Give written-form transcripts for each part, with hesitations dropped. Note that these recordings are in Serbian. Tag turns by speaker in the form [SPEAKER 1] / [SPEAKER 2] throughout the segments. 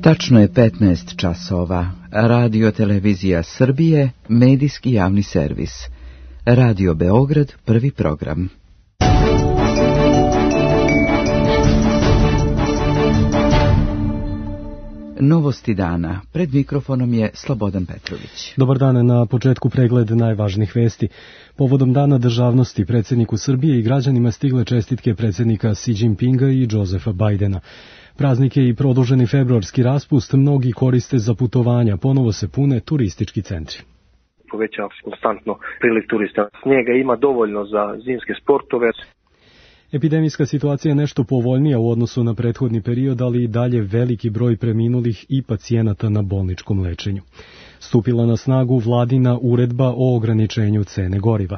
[SPEAKER 1] Tačno je 15 časova. Radio Televizija Srbije, medijski javni servis. Radio Beograd, prvi program. Novosti dana. Pred mikrofonom je Slobodan Petrović.
[SPEAKER 2] Dobar dan, na početku pregled najvažnijih vesti. Povodom Dana državnosti predsjedniku Srbije i građanima stigle čestitke predsjednika Xi Jinpinga i Josefa Bidena. Praznik je i produženi februarski raspust, mnogi koriste za putovanja, ponovo se pune turistički centri.
[SPEAKER 3] Povećava se konstantno priliv turista. Snijega ima dovoljno za zimske sportove.
[SPEAKER 2] Epidemijska situacija je nešto povoljnija u odnosu na prethodni period, ali i dalje veliki broj preminulih i pacijenata na bolničkom lečenju. Stupila na snagu vladina uredba o ograničenju cene goriva.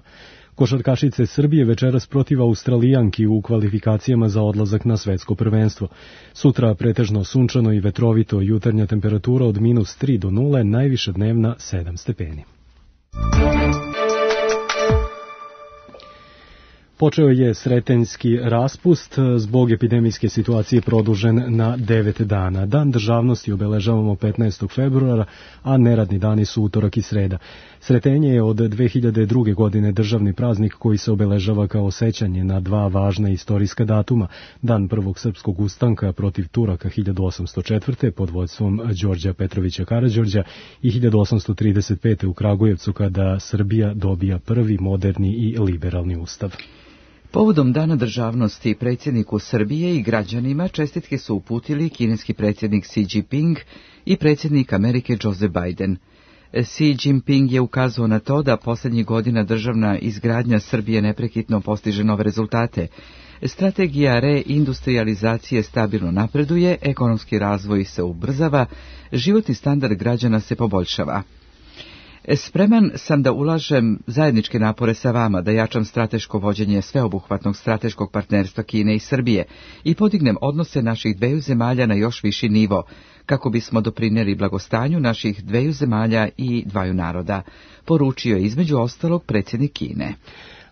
[SPEAKER 2] Košarkašice Srbije večeras protiv Australijanki u kvalifikacijama za odlazak na svetsko prvenstvo. Sutra pretežno sunčano i vetrovito, jutarnja temperatura od -3 do 0, najviša dnevna 7 stepeni. Počeo je sretenjski raspust, zbog epidemijske situacije produžen na 9 dana. Dan državnosti obeležavamo 15. februara, a neradni dani su utorak i sreda. Sretenje je od 2002. godine državni praznik koji se obeležava kao sećanje na dva važna istorijska datuma. Dan prvog srpskog ustanka protiv Turaka 1804. pod vodstvom Đorđa Petrovića Karađorđa i 1835. u Kragujevcu kada Srbija dobija prvi moderni i liberalni ustav.
[SPEAKER 1] Povodom Dana državnosti predsjedniku Srbije i građanima čestitke su uputili kineski predsjednik Xi Jinping i predsjednik Amerike Joseph Biden. Xi Jinping je ukazao na to da posljednjih godina državna izgradnja Srbije neprekidno postiže nove rezultate. Strategija reindustrializacije stabilno napreduje, ekonomski razvoj se ubrzava, životni standard građana se poboljšava. Spreman sam da ulažem zajedničke napore sa vama, da jačam strateško vođenje sveobuhvatnog strateškog partnerstva Kine i Srbije i podignem odnose naših dveju zemalja na još viši nivo, kako bismo doprinijeli blagostanju naših dveju zemalja i dvaju naroda, poručio je između ostalog predsjednik Kine.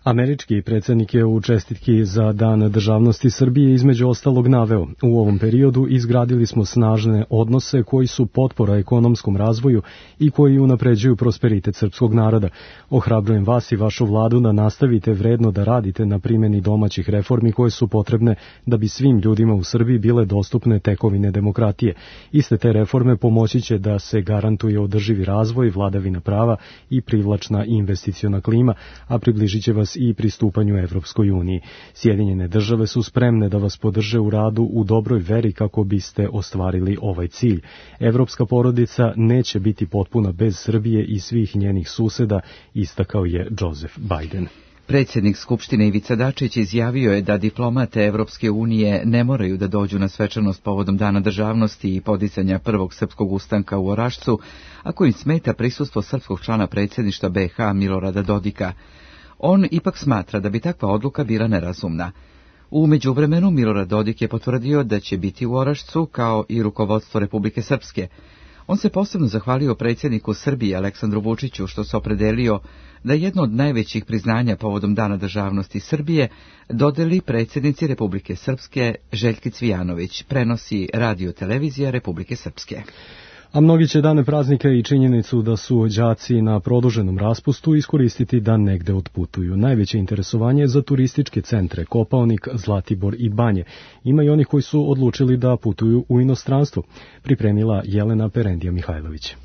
[SPEAKER 2] Američki predsjednik je u čestitki za Dan državnosti Srbije između ostalog naveo: u ovom periodu izgradili smo snažne odnose koji su potpora ekonomskom razvoju i koji unapređuju prosperitet srpskog naroda. Ohrabrujem vas i vašu vladu da nastavite vredno da radite na primjeni domaćih reformi koje su potrebne da bi svim ljudima u Srbiji bile dostupne tekovine demokratije. Iste te reforme pomoći će da se garantuje održivi razvoj, vladavina prava i privlačna investiciona klima, a približit će vas i pristupanju Evropskoj uniji. Sjedinjene države su spremne da vas podrže u radu u dobroj veri kako biste ostvarili ovaj cilj. Evropska porodica neće biti potpuna bez Srbije i svih njenih suseda, istakao je Joseph Biden.
[SPEAKER 1] Predsjednik Skupštine Ivica Dačić izjavio je da diplomate Evropske unije ne moraju da dođu na svečanost povodom Dana državnosti i podizanja prvog srpskog ustanka u Orašcu, ako im smeta prisustvo srpskog člana predsjedništva BiH Milorada Dodika. On ipak smatra da bi takva odluka bila nerazumna. U međuvremenu Milorad Dodik je potvrdio da će biti u Orašcu kao i rukovodstvo Republike Srpske. On se posebno zahvalio predsjedniku Srbije Aleksandru Vučiću što se opredelio da jedno od najvećih priznanja povodom Dana državnosti Srbije dodeli predsjednici Republike Srpske Željki Cvijanović, prenosi Radio Televizija Republike Srpske.
[SPEAKER 2] A mnogi će dane praznika i činjenicu da su đaci na produženom raspustu iskoristiti da negde otputuju. Najveće interesovanje je za turističke centre Kopaonik, Zlatibor i Banje. Ima i onih koji su odlučili da putuju u inostranstvo, pripremila Jelena Perendija Mihajlović.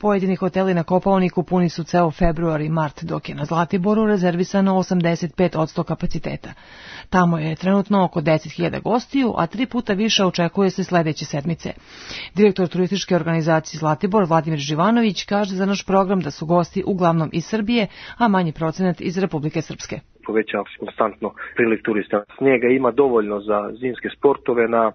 [SPEAKER 4] Pojedini hoteli na Kopaoniku puni su ceo februar i mart, dok je na Zlatiboru rezervisano 85% kapaciteta. Tamo je trenutno oko 10.000 gostiju, a 3 puta više očekuje se sledeće sedmice. Direktor turističke organizacije Zlatibor Vladimir Živanović kaže za naš program da su gosti uglavnom iz Srbije, a manji procenat iz Republike Srpske.
[SPEAKER 3] Povećava se konstantno priliv turista. Snijega ima dovoljno za zimske sportove. Na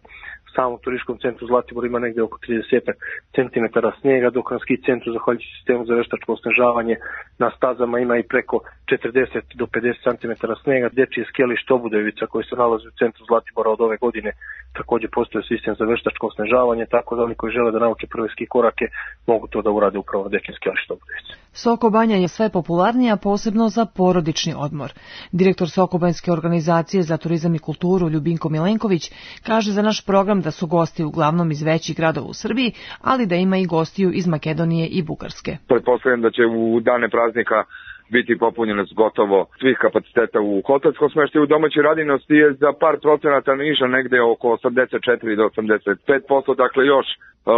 [SPEAKER 3] samom turističkom centru Zlatibor ima negdje oko 30 centimetara snijega, dok na ski centru, zahvaljujući sistemu za veštačko osnežavanje, na stazama ima i preko 40 do 50 cm snega. Dečije skijalište Obudojevica koji se nalazi u centru Zlatibora od ove godine također postoji sistem za veštačko snežavanje, tako da oni koji žele da nauče prve ski korake mogu to da urade upravo na dečije skijalište Obudojevica.
[SPEAKER 4] Sokobanja je sve popularnija, posebno za porodični odmor. Direktor Sokobanjske organizacije za turizam i kulturu Ljubinko Milenković kaže za naš program da su gosti uglavnom iz većih gradova u Srbiji, ali da ima i gostiju iz Makedonije i Bugarske.
[SPEAKER 5] Pretpostavljam da će u dane praznika biti popunjenost gotovo svih kapaciteta u hotelskom smještaju. Domaći radinost je za par procenata niža, negde oko 84 do 85%, dakle još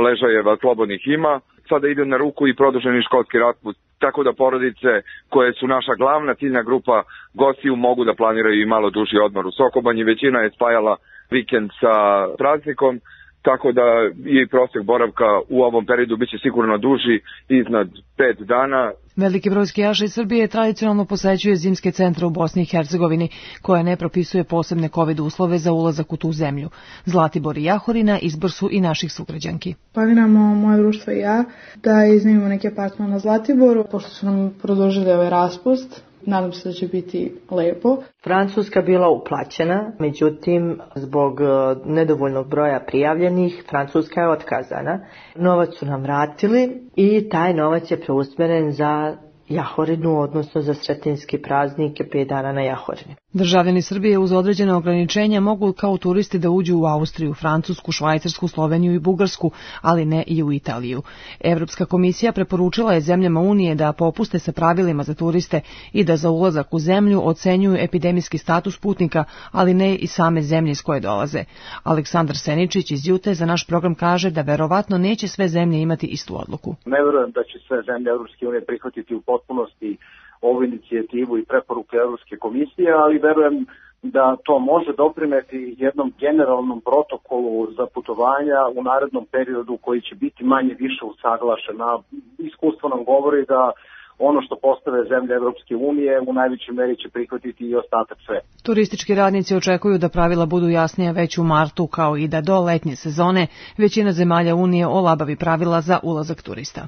[SPEAKER 5] ležajeva slobodnih ima. Sada ide na ruku i produženi školski raspust, tako da porodice koje su naša glavna ciljna grupa gostiju mogu da planiraju i malo duži odmor u Sokobanji. Većina je spajala vikend sa praznikom, tako da i prosjek boravka u ovom periodu biće sigurno duži, iznad 5 dana.
[SPEAKER 4] Veliki broj skijaša iz Srbije tradicionalno posećuje zimske centre u Bosni i Hercegovini, koja ne propisuje posebne COVID uslove za ulazak u tu zemlju. Zlatibor i Jahorina izbor su i naših sugrađanki.
[SPEAKER 6] Planiramo moje društvo i ja da iznajmimo neki apartman na Zlatiboru, pošto su nam produžili ovaj raspust. Nadam se da će biti lepo.
[SPEAKER 7] Francuska bila uplaćena, međutim, zbog nedovoljnog broja prijavljenih, Francuska je otkazana. Novac su nam vratili i taj novac je preusmjeren za Jahorinu, odnosno za Sretenjski praznik 5 dana na Jahorini.
[SPEAKER 4] Državljani Srbije uz određene ograničenja mogu kao turisti da uđu u Austriju, Francusku, Švajcarsku, Sloveniju i Bugarsku, ali ne i u Italiju. Evropska komisija preporučila je zemljama Unije da popuste sa pravilima za turiste i da za ulazak u zemlju ocenjuju epidemijski status putnika, ali ne i same zemlje iz koje dolaze. Aleksandar Seničić iz Jute za naš program kaže da verovatno neće sve zemlje imati istu odluku.
[SPEAKER 8] Ne verujem da će sve zemlje Evropske unije prihvatiti u potpunosti ovu inicijativu i preporuke Evropske komisije, ali verujem da to može doprineti jednom generalnom protokolu za putovanja u narednom periodu koji će biti manje više usaglašen. A iskustvo nam govori da ono što postave zemlje Evropske unije u najvećoj meri će prihvatiti i ostatak sve.
[SPEAKER 4] Turistički radnici očekuju da pravila budu jasnija već u martu, kao i da do letnje sezone većina zemalja Unije olabavi pravila za ulazak turista.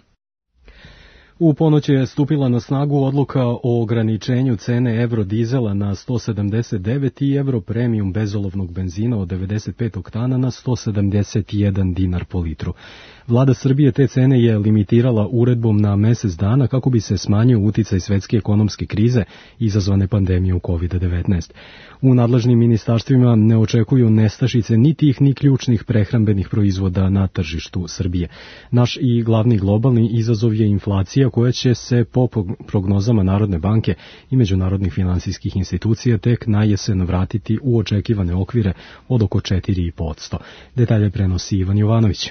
[SPEAKER 2] U ponoć je stupila na snagu odluka o ograničenju cene Eurodizela na 179 i Euro Premium bezolovnog benzina od 95 oktana na 171 dinar po litru. Vlada Srbije te cene je limitirala uredbom na mesec dana kako bi se smanjio uticaj svetske ekonomske krize izazvane pandemijom COVID-19. U nadležnim ministarstvima ne očekuju nestašice ni tih ni ključnih prehrambenih proizvoda na tržištu Srbije. Naš i glavni globalni izazov je inflacija koja će se po prognozama Narodne banke i međunarodnih finansijskih institucija tek na jesen vratiti u očekivane okvire od oko 4,5%. Detalje prenosi Ivan Jovanović.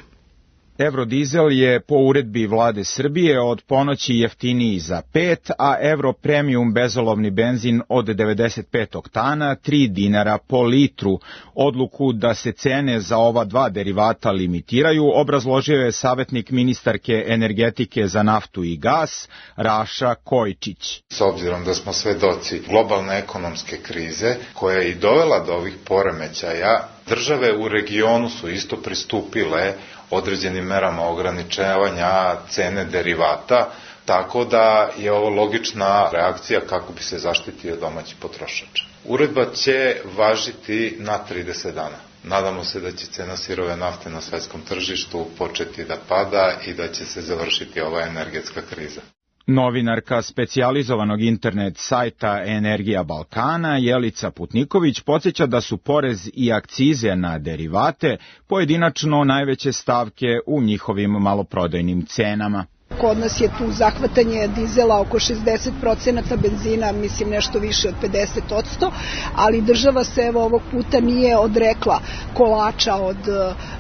[SPEAKER 9] Eurodizel je po uredbi vlade Srbije od ponoći jeftiniji za 5, a Euro Premium bezolovni benzin od 95 oktana 3 dinara po litru. Odluku da se cene za ova dva derivata limitiraju obrazložio je savjetnik ministarke energetike za naftu i gas Raša Kojčić.
[SPEAKER 10] S obzirom da smo svedoci globalne ekonomske krize koja je i dovela do ovih poremećaja, države u regionu su isto pristupile određenim merama ograničavanja cene derivata, tako da je ovo logična reakcija kako bi se zaštitio domaći potrošač. Uredba će važiti na 30 dana. Nadamo se da će cena sirove nafte na svetskom tržištu početi da pada i da će se završiti ova energetska kriza.
[SPEAKER 9] Novinarka specijalizovanog internet sajta Energija Balkana Jelica Putniković podsjeća da su porez i akcize na derivate pojedinačno najveće stavke u njihovim maloprodajnim cenama.
[SPEAKER 11] Kod nas je tu zahvatanje dizela oko 60%, benzina mislim nešto više od 50%, ali država se evo ovog puta nije odrekla kolača od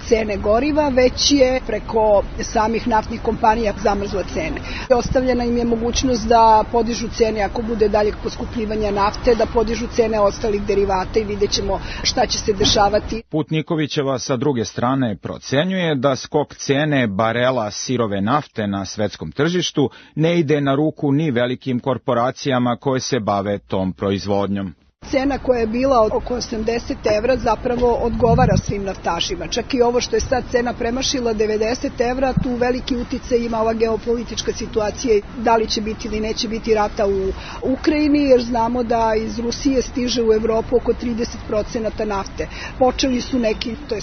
[SPEAKER 11] cene goriva, već je preko samih naftnih kompanija zamrzla cene. Ostavljena im je mogućnost da podižu cene ako bude daljeg poskupljivanja nafte, da podižu cene ostalih derivata i vidjet ćemo šta će se dešavati.
[SPEAKER 9] Putnikovićeva sa druge strane procenjuje da skok cene barela sirove nafte na svetskom tržištu ne ide na ruku ni velikim korporacijama koje se bave tom proizvodnjom.
[SPEAKER 11] Cena koja je bila oko 80 evra zapravo odgovara svim naftašima. Čak i ovo što je sad cena premašila 90 evra, tu veliki uticaj ima ova geopolitička situacija, da li će biti ili neće biti rata u Ukrajini, jer znamo da iz Rusije stiže u Evropu oko 30% nafte. Počeli su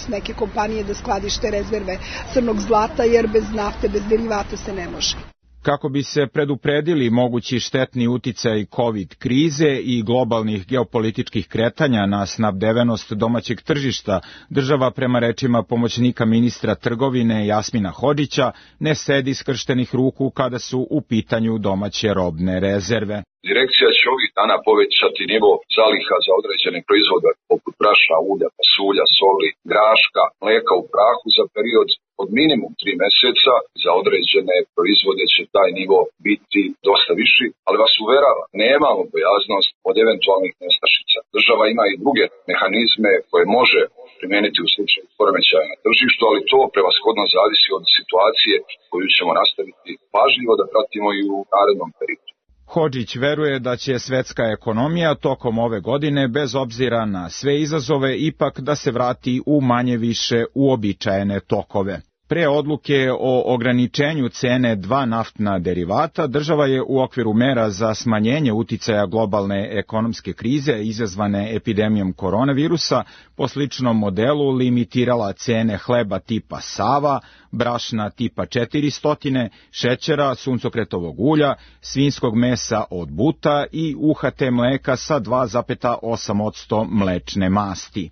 [SPEAKER 11] neke kompanije da skladište rezerve crnog zlata, jer bez nafte, bez derivata se ne može.
[SPEAKER 9] Kako bi se predupredili mogući štetni uticaj COVID krize i globalnih geopolitičkih kretanja na snabdevenost domaćeg tržišta, država prema rečima pomoćnika ministra trgovine Jasmina Hodžića ne sedi skrštenih ruku kada su u pitanju domaće robne rezerve.
[SPEAKER 12] Direkcija će ovih dana povećati nivo zaliha za određene proizvode poput brašna, ulja, pasulja, soli, graška, mleka u prahu za period od minimum 3 meseca. Za određene proizvode će taj nivo biti dosta viši, ali vas uverava, nemamo bojaznost od eventualnih nestašica. Država ima i druge mehanizme koje može primijeniti u slučaju poremećaja na tržištu, ali to prevashodno zavisi od situacije koju ćemo nastaviti pažljivo da pratimo i u narednom periodu.
[SPEAKER 9] Hodžić veruje da će svetska ekonomija tokom ove godine, bez obzira na sve izazove, ipak da se vrati u manje više uobičajene tokove. Pre odluke o ograničenju cene 2 naftna derivata, država je u okviru mera za smanjenje uticaja globalne ekonomske krize izazvane epidemijom koronavirusa po sličnom modelu limitirala cene hleba tipa Sava, brašna tipa 400, šećera, suncokretovog ulja, svinjskog mesa od buta i UHT mleka sa 2,8% mlečne masti.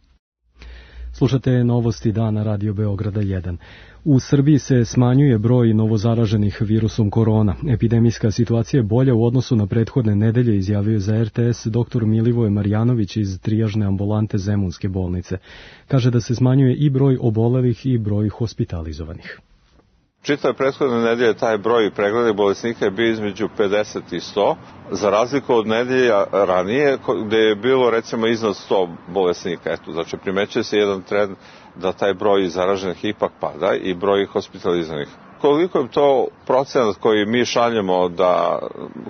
[SPEAKER 2] Slušate novosti dana Radio Beograda 1. U Srbiji se smanjuje broj novozaraženih virusom korona. Epidemijska situacija je bolja u odnosu na prethodne nedelje, izjavio za RTS dr. Milivoje Marjanović iz trijažne ambulante Zemunske bolnice. Kaže da se smanjuje i broj obolelih i broj hospitalizovanih.
[SPEAKER 13] Čitave prethodne nedelje taj broj pregleda bolesnika je bio između 50 i 100, za razliku od nedelja ranije gde je bilo recimo iznad 100 bolesnika. Znači primećuje se jedan trend da taj broj zaraženih ipak pada i broj hospitalizovanih. Koliko je to procenat koji mi šaljemo da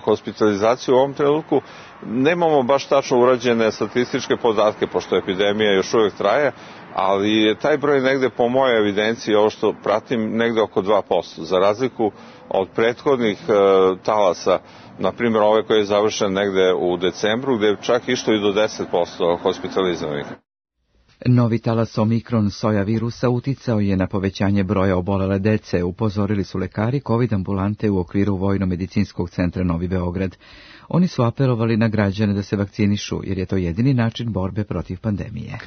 [SPEAKER 13] hospitalizaciju u ovom trenutku, nemamo baš tačno urađene statističke podatke, pošto epidemija još uvijek traje, ali je taj broj negde po mojoj evidenciji, ovo što pratim, negde oko 2%, za razliku od prethodnih talasa, na primjer ove koje je završen negde u decembru, gde je čak išlo i do 10% hospitalizovanih.
[SPEAKER 1] Novi talas omikron soja virusa uticao je na povećanje broja obolele dece, upozorili su lekari COVID ambulante u okviru Vojno-medicinskog centra Novi Beograd. Oni su apelovali na građane da se vakcinišu, jer je to jedini način borbe protiv pandemije.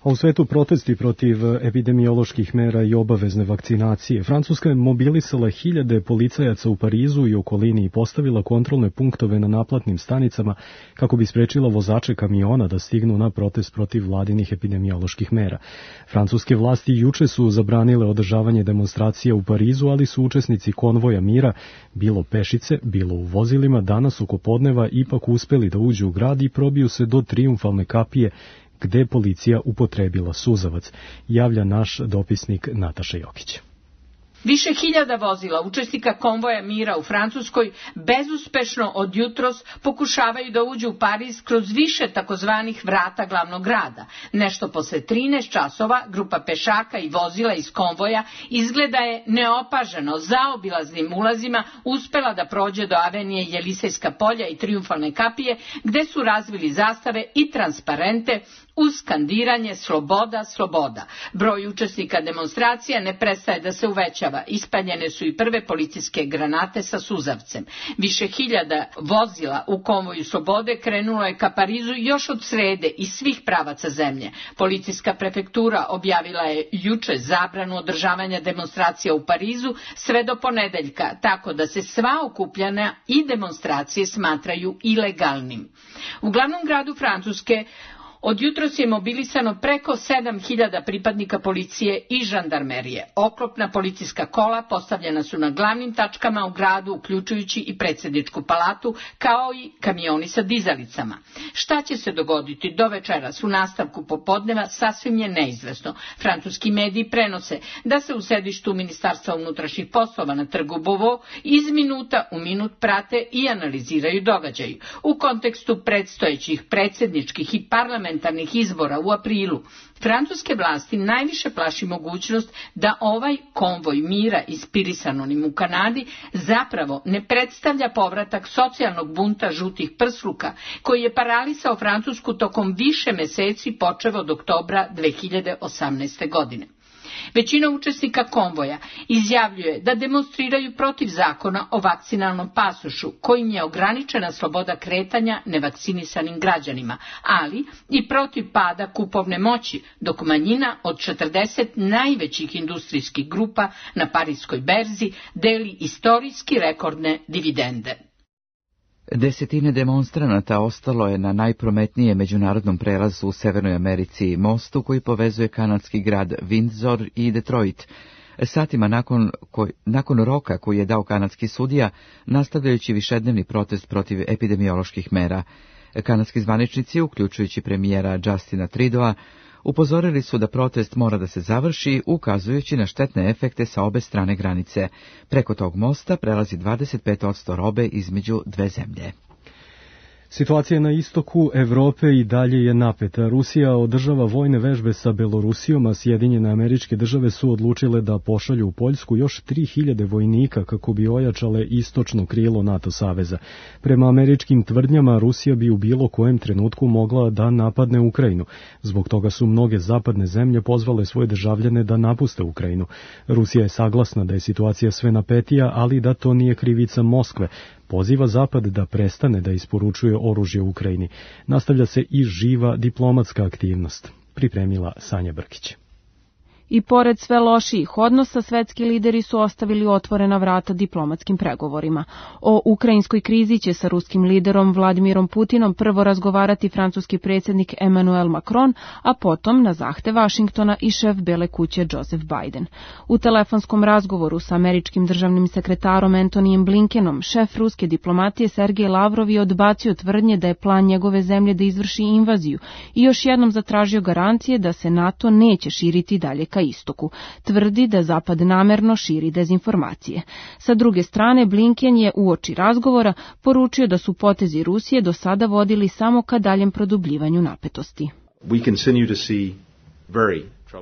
[SPEAKER 2] A u svetu protesti protiv epidemioloških mera i obavezne vakcinacije. Francuska je mobilisala 1000 policajaca u Parizu i okolini i postavila kontrolne punktove na naplatnim stanicama kako bi sprečila vozače kamiona da stignu na protest protiv vladinih epidemioloških mera. Francuske vlasti juče su zabranile održavanje demonstracija u Parizu, ali su učesnici konvoja mira, bilo pešice, bilo u vozilima, danas oko podneva ipak uspeli da uđu u grad i probiju se do Trijumfalne kapije, gde je policija upotrebila suzavac, javlja naš dopisnik Nataša Jokić.
[SPEAKER 14] Više hiljada vozila učesnika konvoja mira u Francuskoj bezuspešno od jutros pokušavaju da uđu u Pariz kroz više takozvanih vrata glavnog grada. Nešto posle 13 časova grupa pešaka i vozila iz konvoja izgleda je neopaženo zaobilaznim ulazima uspela da prođe do avenije Jelisejska polja i Trijumfalne kapije, gde su razvili zastave i transparente uz skandiranje sloboda, sloboda. Broj učesnika demonstracija ne prestaje da se uvećava. Ispaljene su i prve policijske granate sa suzavcem. Više hiljada vozila u konvoju slobode krenulo je ka Parizu još od srede iz svih pravaca zemlje. Policijska prefektura objavila je juče zabranu održavanja demonstracija u Parizu sve do ponedeljka, tako da se sva okupljanja i demonstracije smatraju ilegalnim. U glavnom gradu Francuske Od jutros je mobilisano preko 7.000 pripadnika policije i žandarmerije. Oklopna policijska kola postavljena su na glavnim tačkama u gradu, uključujući i predsjedničku palatu, kao i kamioni sa dizalicama. Šta će se dogoditi do večeras u nastavku popodneva sasvim je neizvesno. Francuski mediji prenose da se u sedištu Ministarstva unutrašnjih poslova na trgu Beauvau iz minuta u minut prate i analiziraju događaji. U kontekstu predstojećih predsjedničkih i parlamentarnih izbora u aprilu, francuske vlasti najviše plaši mogućnost da ovaj konvoj mira inspirisan onim u Kanadi zapravo ne predstavlja povratak socijalnog bunta žutih prsluka koji je paralisao Francusku tokom više meseci počev od oktobra 2018. godine. Većina učesnika konvoja izjavljuje da demonstriraju protiv zakona o vakcinalnom pasošu, kojim je ograničena sloboda kretanja nevakcinisanim građanima, ali i protiv pada kupovne moći, dok manjina od 40 najvećih industrijskih grupa na Pariskoj berzi deli istorijski rekordne dividende.
[SPEAKER 1] Desetine demonstranata ostalo je na najprometnijem međunarodnom prelazu u Severnoj Americi, mostu koji povezuje kanadski grad Windsor i Detroit. Satima nakon roka koji je dao kanadski sudija, nastavljajući višednevni protest protiv epidemioloških mera. Kanadski zvaničnici, uključujući premijera Justina Trudeau, upozorili su da protest mora da se završi, ukazujući na štetne efekte sa obe strane granice. Preko tog mosta prelazi 25% robe između dve zemlje.
[SPEAKER 2] Situacija na istoku Evrope i dalje je napeta. Rusija održava vojne vežbe sa Belorusijom, a Sjedinjene Američke Države su odlučile da pošalju u Poljsku još 3000 vojnika kako bi ojačale istočno krilo NATO saveza. Prema američkim tvrdnjama, Rusija bi u bilo kojem trenutku mogla da napadne Ukrajinu. Zbog toga su mnoge zapadne zemlje pozvale svoje državljane da napuste Ukrajinu. Rusija je saglasna da je situacija sve napetija, ali da to nije krivica Moskve. Poziva Zapad da prestane da isporučuje oružje u Ukrajini. Nastavlja se i živa diplomatska aktivnost. Pripremila Sanja Brkić.
[SPEAKER 15] I pored sve lošijih odnosa, svetski lideri su ostavili otvorena vrata diplomatskim pregovorima. O ukrajinskoj krizi će sa ruskim liderom Vladimirom Putinom prvo razgovarati francuski predsjednik Emmanuel Macron, a potom na zahtev Vašingtona i šef Bele kuće Joseph Biden. U telefonskom razgovoru sa američkim državnim sekretarom Antonyjem Blinkenom, šef ruske diplomatije Sergej Lavrov je odbacio tvrdnje da je plan njegove zemlje da izvrši invaziju i još jednom zatražio garancije da se NATO neće širiti dalje ka istoku. Tvrdi da Zapad namerno širi dezinformacije. Sa druge strane, Blinken je uoči razgovora poručio da su potezi Rusije do sada vodili samo ka daljem produbljivanju napetosti.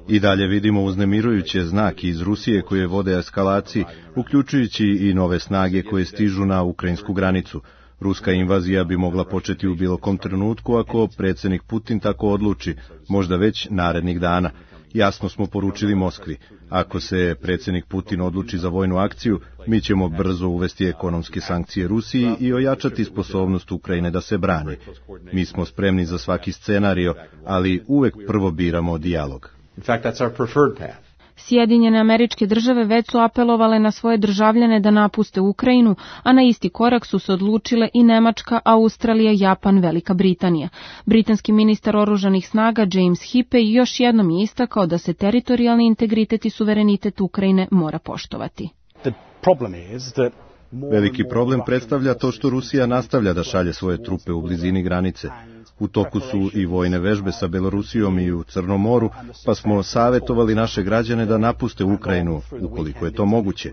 [SPEAKER 16] I dalje vidimo uznemirujuće znake iz Rusije koje vode eskalaciji, uključujući i nove snage koje stižu na ukrajinsku granicu. Ruska invazija bi mogla početi u bilo kom trenutku ako predsjednik Putin tako odluči, možda već narednih dana. Jasno smo poručili Moskvi, ako se predsjednik Putin odluči za vojnu akciju, mi ćemo brzo uvesti ekonomske sankcije Rusiji i ojačati sposobnost Ukrajine da se brani. Mi smo spremni za svaki scenario, ali uvek prvo biramo dijalog.
[SPEAKER 15] Sjedinjene Američke Države već su apelovale na svoje državljane da napuste Ukrajinu, a na isti korak su se odlučile i Nemačka, Australija, Japan, Velika Britanija. Britanski ministar oružanih snaga James Hippey još jednom je istakao da se teritorijalni integritet i suverenitet Ukrajine mora poštovati.
[SPEAKER 16] Veliki problem predstavlja to što Rusija nastavlja da šalje svoje trupe u blizini granice. U toku su i vojne vežbe sa Belorusijom i u Crnom moru, pa smo savjetovali naše građane da napuste Ukrajinu, ukoliko je to moguće.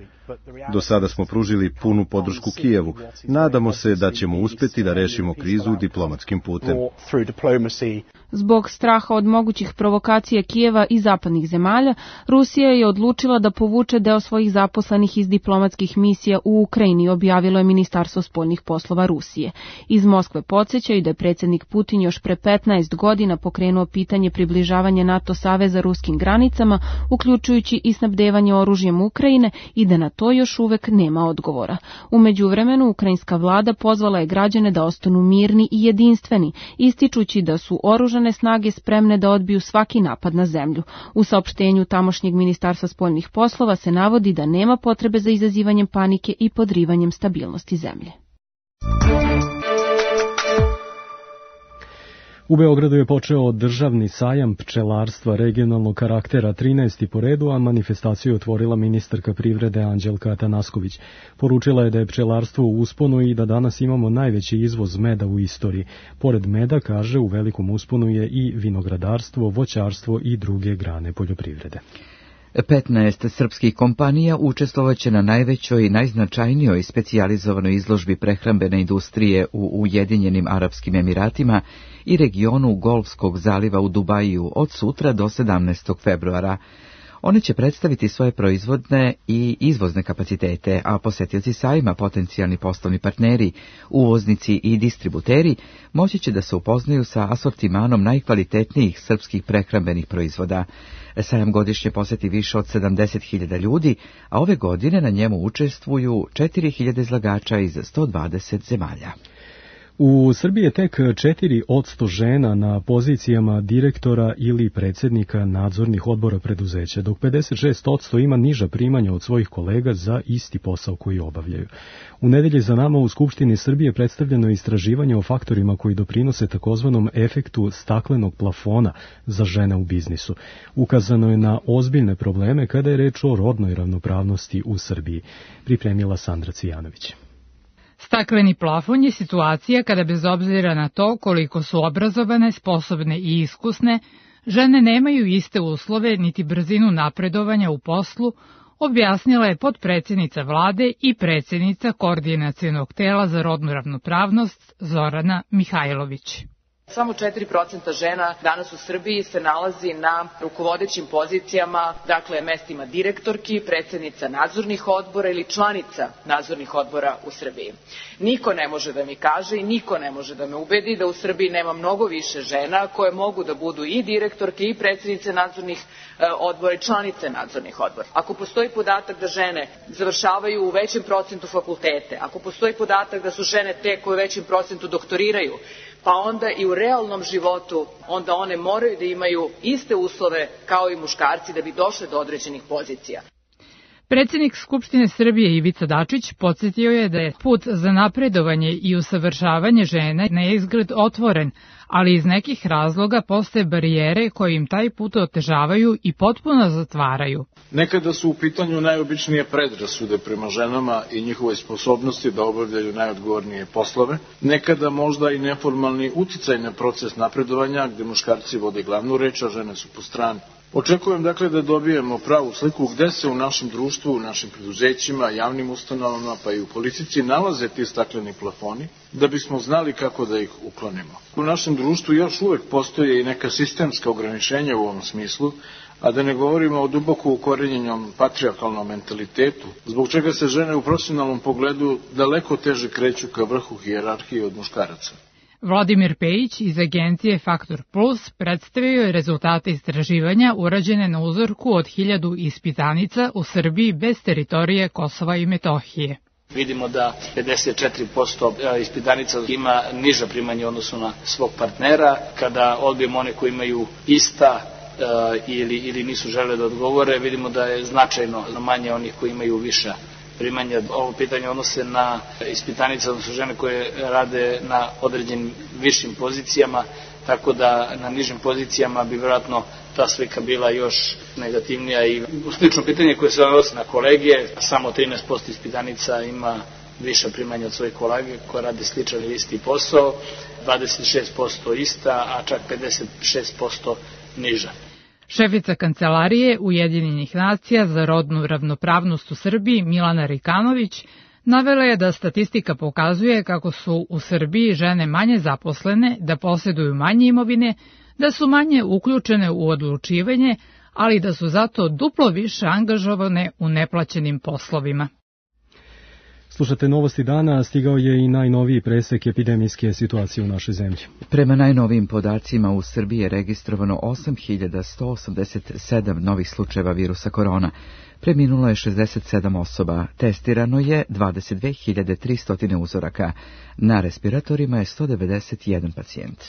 [SPEAKER 16] Do sada smo pružili punu podršku Kijevu. Nadamo se da ćemo uspjeti da rešimo krizu diplomatskim putem.
[SPEAKER 15] Zbog straha od mogućih provokacija Kijeva i zapadnih zemalja, Rusija je odlučila da povuče deo svojih zaposlenih iz diplomatskih misija u Ukrajini, objavilo je Ministarstvo spoljnih poslova Rusije. Iz Moskve podsjećaju da je predsjednik Putin još pre 15 godina pokrenuo pitanje približavanja NATO saveza ruskim granicama, uključujući i snabdevanje oružjem Ukrajine, i da na to još uvek nema odgovora. U međuvremenu, ukrajinska vlada pozvala je građane da ostanu mirni i jedinstveni, ističući da su oružane snage spremne da odbiju svaki napad na zemlju. U saopštenju tamošnjeg Ministarstva spoljnih poslova se navodi da nema potrebe za izazivanjem panike i podrivanjem stabilnosti zemlje.
[SPEAKER 2] U Beogradu je počeo državni sajam pčelarstva regionalnog karaktera 13. po redu, a manifestaciju je otvorila ministarka privrede Anđelka Atanasković. Poručila je da je pčelarstvo u usponu i da danas imamo najveći izvoz meda u istoriji. Pored meda, kaže, u velikom usponu je i vinogradarstvo, voćarstvo i druge grane poljoprivrede.
[SPEAKER 1] 15 srpskih kompanija učestvovaće na najvećoj i najznačajnijoj specijalizovanoj izložbi prehrambene industrije u Ujedinjenim Arapskim Emiratima i regionu Golfskog zaliva u Dubaju od sutra do 17. februara. One će predstaviti svoje proizvodne i izvozne kapacitete, a posetioci sajma, potencijalni poslovni partneri, uvoznici i distributeri moći će da se upoznaju sa asortimanom najkvalitetnijih srpskih prehrambenih proizvoda. Sajam godišnje poseti više od 70.000 ljudi, a ove godine na njemu učestvuju 4.000 izlagača iz 120 zemalja.
[SPEAKER 2] U Srbiji je tek 4% žena na pozicijama direktora ili predsjednika nadzornih odbora preduzeća, dok 56% ima niža primanja od svojih kolega za isti posao koji obavljaju. U nedelji za nama u Skupštini Srbije predstavljeno istraživanje o faktorima koji doprinose takozvanom efektu staklenog plafona za žene u biznisu. Ukazano je na ozbiljne probleme kada je reč o rodnoj ravnopravnosti u Srbiji. Pripremila Sandra Cvijanović.
[SPEAKER 17] Stakleni plafon je situacija kada bez obzira na to koliko su obrazovane, sposobne i iskusne, žene nemaju iste uslove niti brzinu napredovanja u poslu, objasnila je potpredsjednica vlade i predsjednica Koordinacionog tela za rodnu ravnopravnost Zorana Mihajlović.
[SPEAKER 18] Samo 4% žena danas u Srbiji se nalazi na rukovodećim pozicijama, dakle mestima direktorki, predsjednica nadzornih odbora ili članica nadzornih odbora u Srbiji. Niko ne može da mi kaže i niko ne može da me ubedi da u Srbiji nema mnogo više žena koje mogu da budu i direktorke i predsjednice nadzornih odbora i članice nadzornih odbora. Ako postoji podatak da žene završavaju u većem procentu fakultete, ako postoji podatak da su žene te koje u većem procentu doktoriraju, pa onda i u realnom životu, onda one moraju da imaju iste uslove kao i muškarci da bi došle do određenih pozicija.
[SPEAKER 17] Predsjednik Skupštine Srbije Ivica Dačić podsjetio je da je put za napredovanje i usavršavanje žene na izgled otvoren, ali iz nekih razloga postoje barijere koje im taj put otežavaju i potpuno zatvaraju.
[SPEAKER 19] Nekada su u pitanju najobičnije predrasude prema ženama i njihove sposobnosti da obavljaju najodgovornije poslove, nekada možda i neformalni uticaj na proces napredovanja gde muškarci vode glavnu reč, a žene su po strani. Očekujem dakle da dobijemo pravu sliku gde se u našem društvu, u našim preduzećima, javnim ustanovama pa i u politici nalaze ti stakleni plafoni, da bismo znali kako da ih uklonimo. U našem društvu još uvek postoje i neka sistemska ograničenja u ovom smislu, a da ne govorimo o duboko ukorenjenom patrijarhalnom mentalitetu, zbog čega se žene u profesionalnom pogledu daleko teže kreću ka vrhu hijerarhije od muškaraca.
[SPEAKER 17] Vladimir Pejić iz agencije Faktor Plus predstavio je rezultate istraživanja urađene na uzorku od 1000 ispitanica u Srbiji bez teritorije Kosova i Metohije.
[SPEAKER 20] Vidimo da 54% ispitanica ima niža primanja u odnosu na svog partnera. Kada odbijemo one koji imaju ista ili nisu žele da odgovore, vidimo da je značajno manje onih koji imaju viša primanja. Ovo pitanje odnose na ispitanice, odnosno žene koje rade na određenim višim pozicijama, tako da na nižim pozicijama bi vjerojatno ta slika bila još negativnija. I slično pitanje koje se odnosi na kolege, samo 13% ispitanica ima viša primanja od svojih kolege koje rade sličan ili isti posao, 26% ista, a čak 56% niža.
[SPEAKER 17] Šefica Kancelarije Ujedinjenih nacija za rodnu ravnopravnost u Srbiji Milana Rikanović navela je da statistika pokazuje kako su u Srbiji žene manje zaposlene, da posjeduju manje imovine, da su manje uključene u odlučivanje, ali da su zato duplo više angažovane u neplaćenim poslovima.
[SPEAKER 2] Slušate Novosti dana, stigao je i najnoviji presek epidemijske situacije u našoj zemlji.
[SPEAKER 1] Prema najnovijim podacima u Srbiji je registrovano 8.187 novih slučajeva virusa korona. Preminulo je 67 osoba, testirano je 22.300 uzoraka. Na respiratorima je 191 pacijent.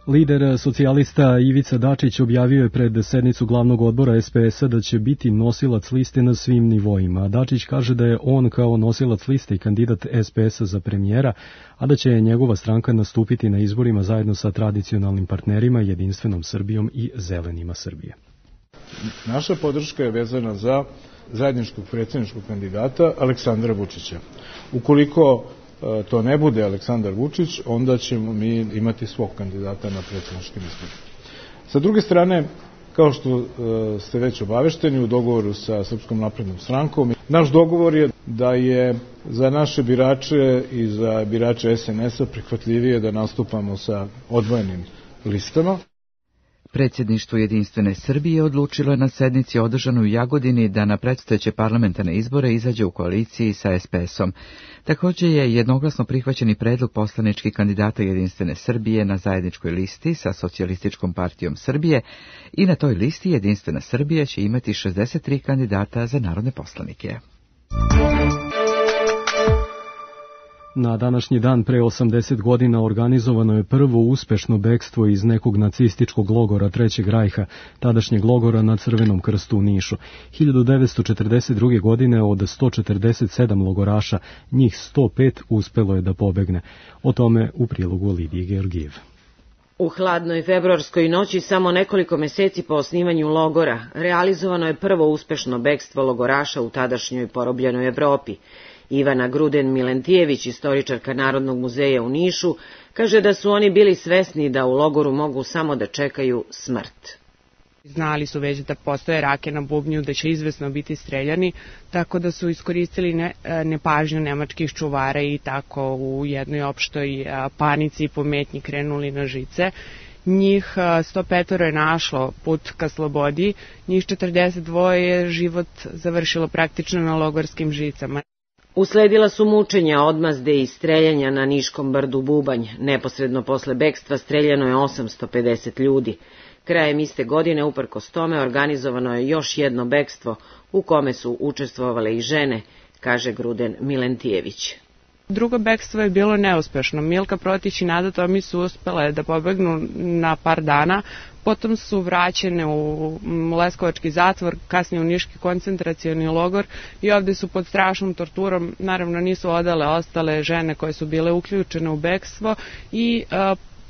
[SPEAKER 2] Lider socijalista Ivica Dačić objavio je pred sednicu glavnog odbora SPS-a da će biti nosilac liste na svim nivoima. Dačić kaže da je on kao nosilac liste i kandidat SPS-a za premijera, a da će njegova stranka nastupiti na izborima zajedno sa tradicionalnim partnerima Jedinstvenom Srbijom i Zelenima Srbije.
[SPEAKER 19] Naša podrška je vezana za zajedničkog predsjedničkog kandidata Aleksandra Vučića. Ukoliko to ne bude Aleksandar Vučić, onda ćemo mi imati svog kandidata na predsjedničkim izborima. Sa druge strane, kao što ste već obavešteni u dogovoru sa Srpskom naprednom strankom, naš dogovor je da je za naše birače i za birače SNS-a prihvatljivije da nastupamo sa odvojenim listama.
[SPEAKER 1] Predsjedništvo Jedinstvene Srbije odlučilo je na sednici održanoj u Jagodini da na predstojeće parlamentarne izbore izađe u koaliciji sa SPS-om. Također je jednoglasno prihvaćeni predlog poslaničkih kandidata Jedinstvene Srbije na zajedničkoj listi sa Socijalističkom partijom Srbije i na toj listi Jedinstvena Srbija će imati 63 kandidata za narodne poslanike.
[SPEAKER 2] Na današnji dan pre 80 godina organizovano je prvo uspešno bekstvo iz nekog nacističkog logora Trećeg rajha, tadašnjeg logora na Crvenom krstu u Nišu. 1942. godine od 147 logoraša, njih 105 uspelo je da pobegne. O tome u prilogu Lidije Georgijev.
[SPEAKER 21] U hladnoj februarskoj noći, samo nekoliko meseci po osnivanju logora, realizovano je prvo uspešno bekstvo logoraša u tadašnjoj porobljenoj Evropi. Ivana Gruden-Milentijević, istoričarka Narodnog muzeja u Nišu, kaže da su oni bili svesni da u logoru mogu samo da čekaju smrt.
[SPEAKER 22] Znali su već da postoje rake na bubnju, da će izvesno biti streljani, tako da su iskoristili nepažnju nemačkih čuvara i tako u jednoj opštoj panici i pometnji krenuli na žice. Njih 105 je našlo put ka slobodi, njih 42 je život završilo praktično na logorskim žicama.
[SPEAKER 21] Usledila su mučenja, odmazde i streljanja na Niškom brdu Bubanj. Neposredno posle bekstva streljano je 850 ljudi. Krajem iste godine, uprkos tome, organizovano je još jedno bekstvo u kome su učestvovale i žene, kaže Gruden Milentijević.
[SPEAKER 22] Drugo bekstvo je bilo neuspešno. Milka Protić i Nada Tomić su uspele da pobegnu na par dana, potom su vraćene u Leskovački zatvor, kasnije u Niški koncentracioni logor i ovde su pod strašnom torturom, naravno nisu odale ostale žene koje su bile uključene u bekstvo i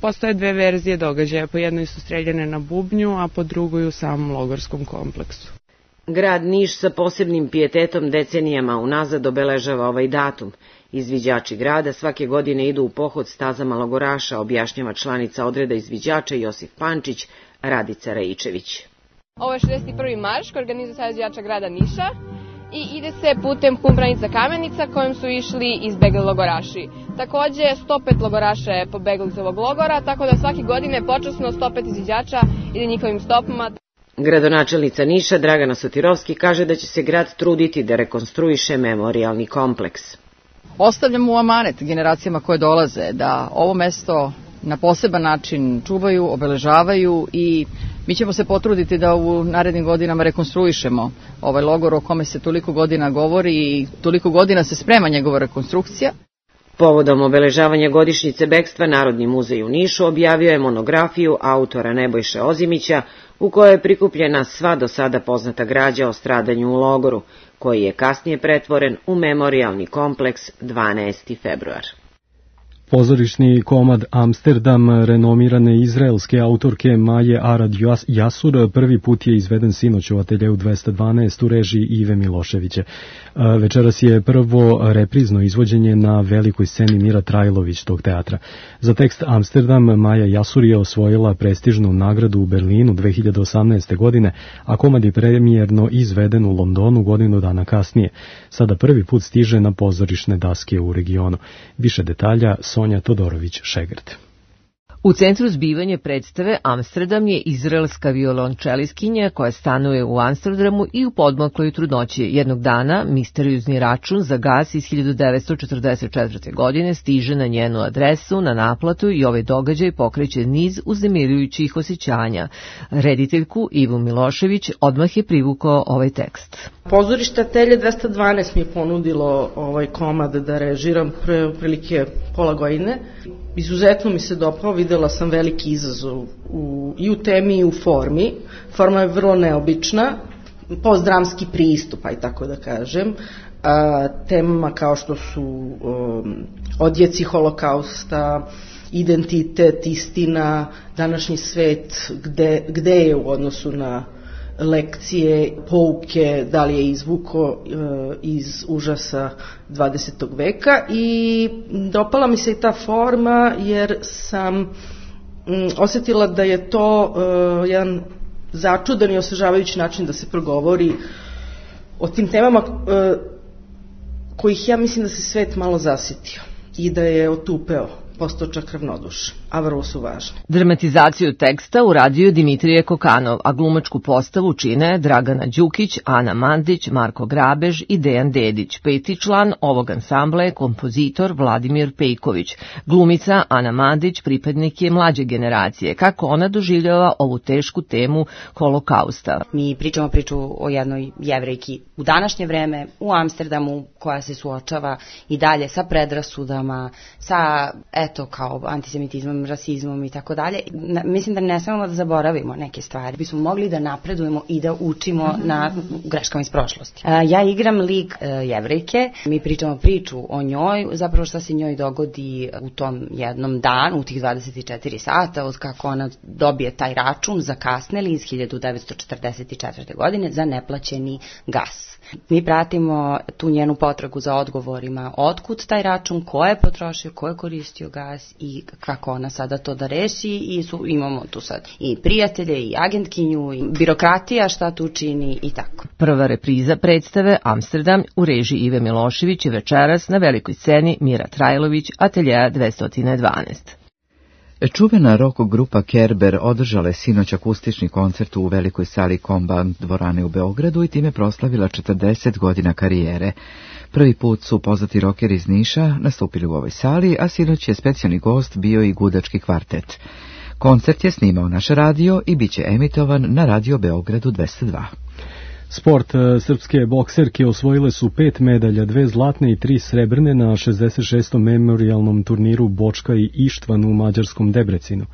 [SPEAKER 22] postoje dve verzije događaja. Po jednoj su streljane na bubnju, a po drugoj u samom logorskom kompleksu.
[SPEAKER 21] Grad Niš sa posebnim pijetetom decenijama unazad obeležava ovaj datum. Izviđači grada svake godine idu u pohod stazama logoraša, objašnjava članica odreda izviđača Josif Pančić, Radica Rajičević.
[SPEAKER 23] Ovo je 61. marš koji organizuje Savez izviđača grada Niša i ide se putem Kumbranica Kamenica kojim su išli izbegli logoraši. Takođe, 105 logoraša je pobegli iz ovog logora, tako da svake godine počasno 105 izviđača ide njihovim stopama.
[SPEAKER 21] Gradonačelnica Niša Dragana Sotirovski kaže da će se grad truditi da rekonstruiše memorijalni kompleks.
[SPEAKER 24] Ostavljamo u amanet generacijama koje dolaze da ovo mesto na poseban način čuvaju, obeležavaju i mi ćemo se potruditi da u narednim godinama rekonstruišemo ovaj logor o kome se toliko godina govori i toliko godina se sprema njegova rekonstrukcija.
[SPEAKER 21] Povodom obeležavanja godišnjice bekstva Narodni muzej u Nišu objavio je monografiju autora Nebojše Ozimića u kojoj je prikupljena sva do sada poznata građa o stradanju u logoru, koji je kasnije pretvoren u memorijalni kompleks 12. februar.
[SPEAKER 2] Pozorišni komad Amsterdam renomirane izraelske autorke Maje Arad Jasur prvi put je izveden sinoć u ateljeu 212 u režiji Ive Miloševića. Večeras je prvo reprizno izvođenje na velikoj sceni Mira Trajlović tog teatra. Za tekst Amsterdam Maja Jasur je osvojila prestižnu nagradu u Berlinu 2018. godine, a komad je premijerno izveden u Londonu godinu dana kasnije. Sada prvi put stiže na pozorišne daske u regionu. Više detalja Sonja Todorović-Šegrt.
[SPEAKER 25] U centru zbivanja predstave Amsterdam je izraelska violončeliskinja koja stanuje u Amsterdamu i u podmokloj trudnoći. Jednog dana misteriozni račun za gas iz 1944. godine stiže na njenu adresu, na naplatu i ovaj događaj pokreće niz uznemirujućih osjećanja. Rediteljku Ivu Milošević odmah je privukao ovaj tekst.
[SPEAKER 26] Pozorište Atelje 212 mi je ponudilo ovaj komad da režiram pre prilike pola godine. Izuzetno mi se dopao, videli videla sam veliki izazov i u temi i u formi. Forma je vrlo neobična, postdramski pristup, aj tako da kažem, temama kao što su odjeci holokausta, identitet, istina, današnji svet, gde je u odnosu na lekcije, pouke, da li je izvuko iz užasa 20. veka i dopala mi se i ta forma jer sam osjetila da je to jedan začudan i osvežavajući način da se progovori o tim temama kojih ja mislim da se svet malo zasitio i da je otupeo, postao čak ravnodušan, a vrlo su važne.
[SPEAKER 25] Dramatizaciju teksta uradio Dimitrije Kokanov, a glumačku postavu čine Dragana Đukić, Ana Mandić, Marko Grabež i Dejan Dedić. Peti član ovog ansambla je kompozitor Vladimir Pejković. Glumica Ana Mandić pripadnik je mlađe generacije. Kako ona doživljava ovu tešku temu holokausta?
[SPEAKER 3] Mi pričamo priču o jednoj Jevrejki u današnje vreme u Amsterdamu koja se suočava i dalje sa predrasudama, sa kao antisemitizmom, rasizmom i tako dalje. Mislim da ne smemo da zaboravimo neke stvari. Bismo mogli da napredujemo i da učimo na greškama iz prošlosti. Ja igram lik Jevrejke, mi pričamo priču o njoj, zapravo šta se njoj dogodi u tom jednom danu, u tih 24 sata, od kako ona dobije taj račun zakasneli iz 1944. godine za neplaćeni gas. Mi pratimo tu njenu potragu za odgovorima, otkud taj račun, ko je potrošio, ko je koristio gas i kako ona sada to da reši i imamo tu sad i prijatelje i agentkinju i birokratija šta tu čini i tako.
[SPEAKER 25] Prva repriza predstave Amsterdam u režiji Ive Milošević je večeras na velikoj sceni Mira Trajlović, Ateljeja 212.
[SPEAKER 1] Čuvena rock grupa Kerber održala je sinoć akustični koncert u velikoj sali Komban dvorane u Beogradu i time proslavila 40 godina karijere. Prvi put su poznati rokeri iz Niša nastupili u ovoj sali, a sinoć je specijalni gost bio i gudački kvartet. Koncert je snimao naš radio i bit će emitovan na Radio Beogradu 202.
[SPEAKER 2] Sport. Srpske bokserke osvojile su 5 medalja, 2 zlatne i 3 srebrne na 66. memorijalnom turniru Bočka i Ištvan u mađarskom Debrecinu.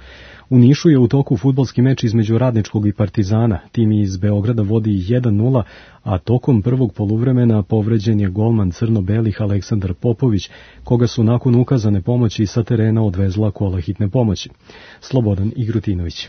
[SPEAKER 2] U Nišu je u toku fudbalski meč između Radničkog i Partizana. Tim iz Beograda vodi 1-0, a tokom prvog poluvremena povređen je golman crno-belih Aleksandar Popović, koga su nakon ukazane pomoći sa terena odvezla kola hitne pomoći. Slobodan Igrutinović.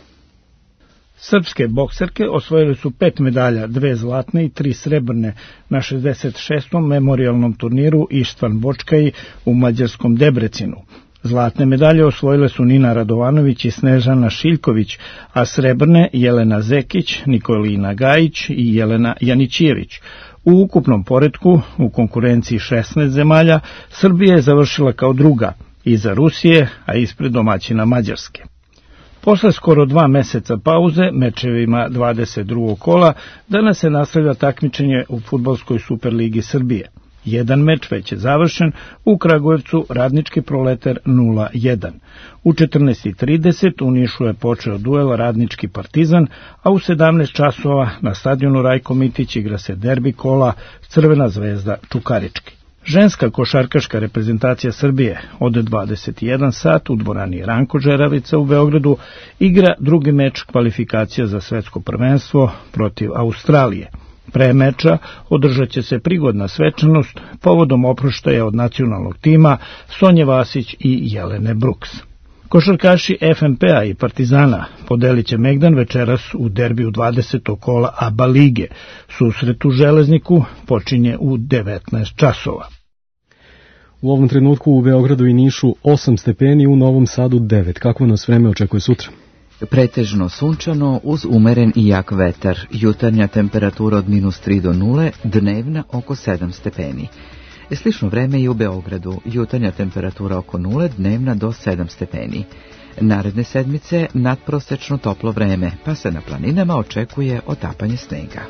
[SPEAKER 4] Srpske bokserke osvojili su 5 medalja, 2 zlatne i 3 srebrne na 66. memorijalnom turniru Ištvan Bočkaj u mađarskom Debrecinu. Zlatne medalje osvojile su Nina Radovanović i Snežana Šiljković, a srebrne Jelena Zekić, Nikolina Gajić i Jelena Janićijević. U ukupnom poretku, u konkurenciji 16 zemalja, Srbija je završila kao druga, iza Rusije, a ispred domaćina Mađarske. Posle skoro 2 meseca pauze, mečevima 22. kola, danas se nastavlja takmičenje u fudbalskoj Superligi Srbije. Jedan meč već je završen, u Kragujevcu Radnički Proletar 0-1. U 14:30 u Nišu je počeo duel Radnički Partizan, a u 17 časova na stadionu Rajko Mitić igra se derbi kola Crvena Zvezda Čukarički. Ženska košarkaška reprezentacija Srbije od 21 sat u dvorani Ranko Žeravica u Beogradu igra drugi meč kvalifikacija za svetsko prvenstvo protiv Australije. Pre meča održat će se prigodna svečanost povodom oproštaja od nacionalnog tima Sonje Vasić i Jelene Brooks. Košarkaši FNP-a i Partizana podelit će megdan večeras u derbiju 20. kola ABA lige. Susret u Železniku počinje u 19 časova.
[SPEAKER 2] U ovom trenutku u Beogradu i Nišu 8 stepeni, u Novom Sadu 9. Kako nas vreme očekuje sutra?
[SPEAKER 1] Pretežno sunčano uz umeren i jak vetar. Jutarnja temperatura od -3 do 0, dnevna oko 7 stepeni. Slično vreme i u Beogradu. Jutarnja temperatura oko 0, dnevna do 7 stepeni. Naredne sedmice nadprosečno toplo vreme, pa se na planinama očekuje otapanje snega.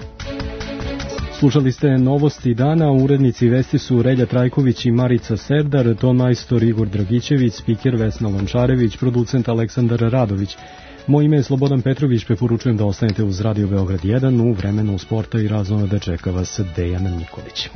[SPEAKER 2] Slušali ste novosti dana, urednici vesti su Relja Trajković i Marica Serdar, ton majstor Igor Dragićević, spiker Vesna Lončarević, producent Aleksandar Radović. Moje ime je Slobodan Petrović, preporučujem da ostanete uz Radio Beograd 1 u vremenu sporta i razonode čeka vas Dejan Nikolić.